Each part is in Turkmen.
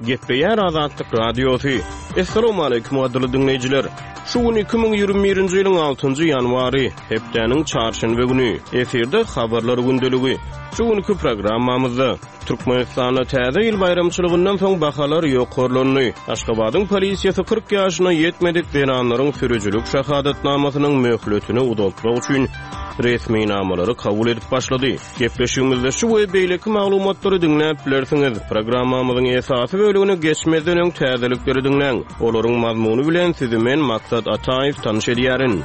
Gepleýär Azatlyk Radiosy. Assalamualaikum gadyrly diňleýjiler. Şu gün 2021-nji ýylyň 6-njy ýanwary, hepdäniň çarşenbe güni. Efirde habarlar gündeligi. Şu günki programmamyzda Türkmenistanda täze ýyl baýramçylygyndan soň bahalar ýokarlandy. Aşgabadyň polisiýasy 40 ýaşyna ýetmedik zenanlaryň sürüjilik şahadatnamasynyň möhletini uzaltmak üçin resminamalary kabul edip başlady. Gepleşigimizde şu we beýleki maglumatlary diňläp bilersiňiz. Programmamyzyň esasy bölegine geçmezden öň täzelikleri diňläň. Olaryň mazmuny bilen sizi men Maksat Ataýew tanyş edýärin.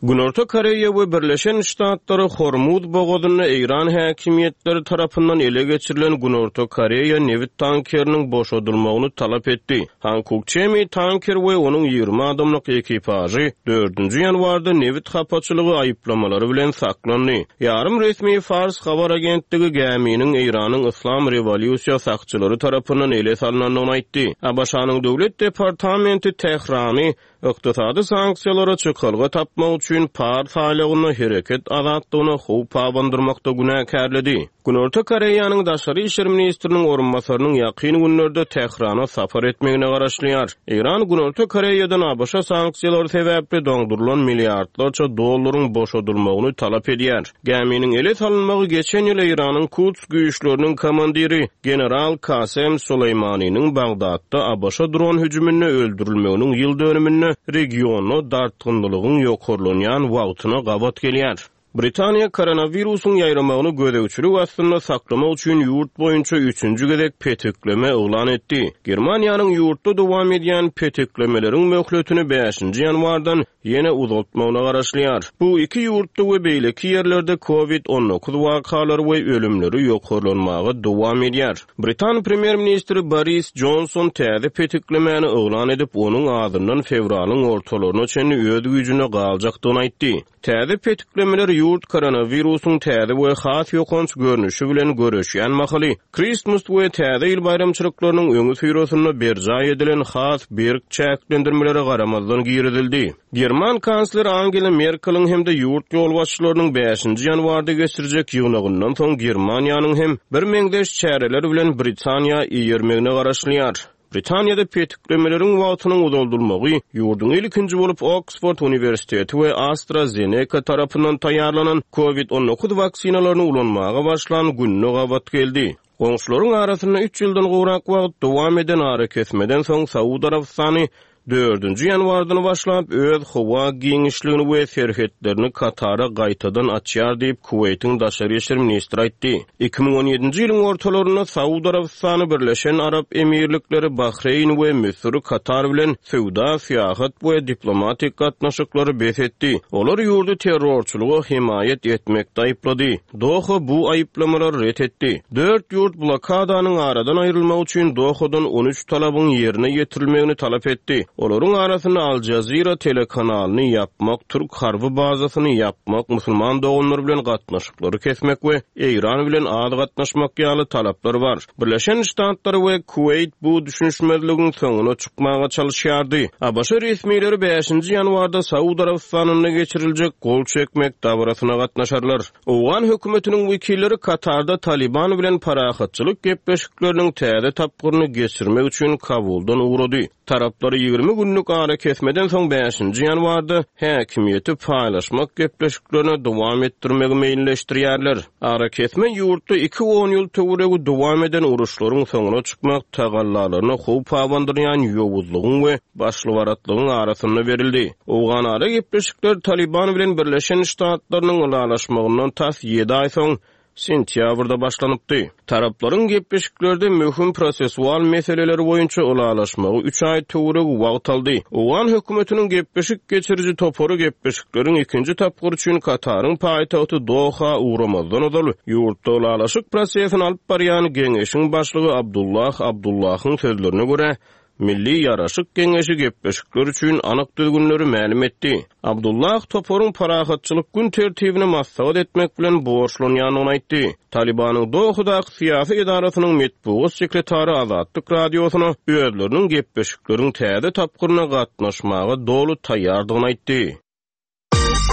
Günorta Koreýa we Birleşen Ştatlary Hormuz bogazynda Eýran häkimiýetleri tarapyndan ele geçirilen Günorta Koreýa nebit tankeriniň boşadylmagyny talap etdi. Hankuk Çemi tanker we onuň 20 adamlyk ekipažy dördünji ýanwarda nebit hapaçylygy aýyplamalary bilen saklandy. Ýarym resmi Fars habar agentligi gäminiň Eýranyň Yslam rewolýusiýa sakçylary tarapyndan ele salnandygyny aýtdy. ABŞ-nyň Döwlet departamenti Tährany Ykdysady sanksiýalara çykalga tapmak üçin Pars aýlagynda hereket azatlygyna howp abandyrmakda günäkärledi. Günorta Koreýanyň daşary işler ministriniň orunbasarynyň ýakyn günlerde Tährana sapar etmegine garaşylýar. Eýran Günorta Koreýadan ABŞ sanksiýalary sebäpli doňdurylan milliardlarça dollaryň boşadylmagyny talap edýär. Gäminiň ele salynmagy geçen ýyl Eýranyň Kuds güýçleriniň komandiri general Kasem Soleýmaniniň Bagdatda ABŞ dron hüjüminde öldürilmeginiň ýyl dönüminde regionda dartgynlylygyň ýokarlanýan wagtyna gabat gelýär. Britaniýa koronawirusyň ýaýramagyny gözegçilik astynda saklamak üçin ýurt boýunça üçünji gezek petikleme yglan etdi. Germaniýanyň ýurtda dowam edýän petiklemeleriň möhletini bäşinji ýanwardan ýene uzaltmagyna garaşylýar. Bu iki ýurtda we beýleki ýerlerde Covid 19 wakalary we ölümleri ýokarlanmaga dowam edýär. Britan premýer-ministri Boris Jonson täze petiklemäni yglan edip, onuň azyndan fewralyň ortalaryna çenli öz güýjünde galjakdygyny aýtdy. Täze petiklemeler ýurt koronawirusyň täze we has ýokanç görnüşi bilen göreşýän mahaly, Kristmas we Täze ýyl baýramçylyklarynyň öňüsyrasynda berjaý edilen has berk çäklendirmelere garamazdan girizildi. German kansleri Angela Merkeliň hem-de ýurt ýolbaşçylarynyň bäşinji ýanwarda geçirjek ýygnagyndan soň Germaniýanyň hem birmeňzeş çäreler bilen Britaniýa eýermegine garaşylýar. Britaniýada petiklemeleriň wagtynyň uzaldylmagy ýurduň ilkinji bolup Oksford uniwersiteti we AstraZeneca tarapyndan taýýarlanan Covid 19 waksinalaryny ulanmaga başlan gününe gabat geldi. Goňşularyň arasynda üç ýyldan gowrak wagt dowam eden arakesmeden soň Saud Arabystany dördünji ýanwardan başlap öz howa giňişligini we serhetlerini Katara gaýtadan açýar diýip, Kuweýtiň daşary işler ministri aýtdy. 2017-nji ýylyň ortalarynda Saud Arabystany, Birleşen Arap Emirlikleri, Bahreýn we Müsür Katar bilen söwda, syýahat we diplomatik gatnaşyklary bes etdi. Olar ýurdy terrorçylyga hemaýat etmekde aýyplady. Doha bu aýyplamalary ret etdi. Dört ýurt blokadanyň aradan aýrylmagy üçin Dohadan 13 talabyň ýerine ýetirilmegini talap etdi. Olaryň arasynda Al Jazeera telekanalyny ýapmak, türk harby bazasyny ýapmak, musulman doganlar bilen gatnaşyklary kesmek we Eýran bilen az gatnaşmak ýaly talaplar bar. Birleşen Ştatlar we Kuweýt bu düşünişmezligiň soňuna çykmaga çalyşýardy. ABŞ resmileri bäşinji ýanwarda Saud Arabystanynda geçiriljek gol çekmek dabarasyna gatnaşarlar. Owgan hökümetiniň wekilleri Katarda Talyban bilen parahatçylyk gepleşikleriniň täze tapgyryny geçirmek üçin Kabuldan ugrady. Taraplar 20 günlük arakesmeden soň bäşinji ýanwarda häkimiýeti paýlaşmak gepleşiklerini dowam etdirmegi meýilleşdirýärler. Arakesme ýurtda iki on ýyl töweregi dowam eden uruşlaryň soňuna çykmak tagallalaryna howp abandyrýan ýowuzlygyň we başlybaratlygyň arasynda berildi. Owganara gepleşikler Talyban bilen Birleşen Ştatlarynyň ylalaşmagyndan tas ýedi aý soň, sentýabrda başlanypdy. Taraplaryň gepleşiklerde möhüm prosesual meseleler boýunça ylalaşmagy üç aý töweregi wagt aldy. Owgan hökümetiniň gepleşik geçiriji topary gepleşikleriň ikinji tapgyry üçin Kataryň paýtagty Doha ugramazdan ozal, ýurtda ylalaşyk prosesini alyp barýan geňeşiň başlygy Abdullah Abdullahyň sözlerine görä, Milli ýaraşyk geňeşi gepleşikler üçin anyk düzgünleri mälim etdi. Abdullah toparyň parahatçylyk gün tertibini maslahat etmek bilen borçlanýandygyny aýtdy. Talybanyň Dohadaky syýasy edarasynyň metbugat sekretary Azatlyk Radiosyna özleriniň gepleşikleriň täze tapgyryna gatnaşmaga doly taýýardygyny aýtdy.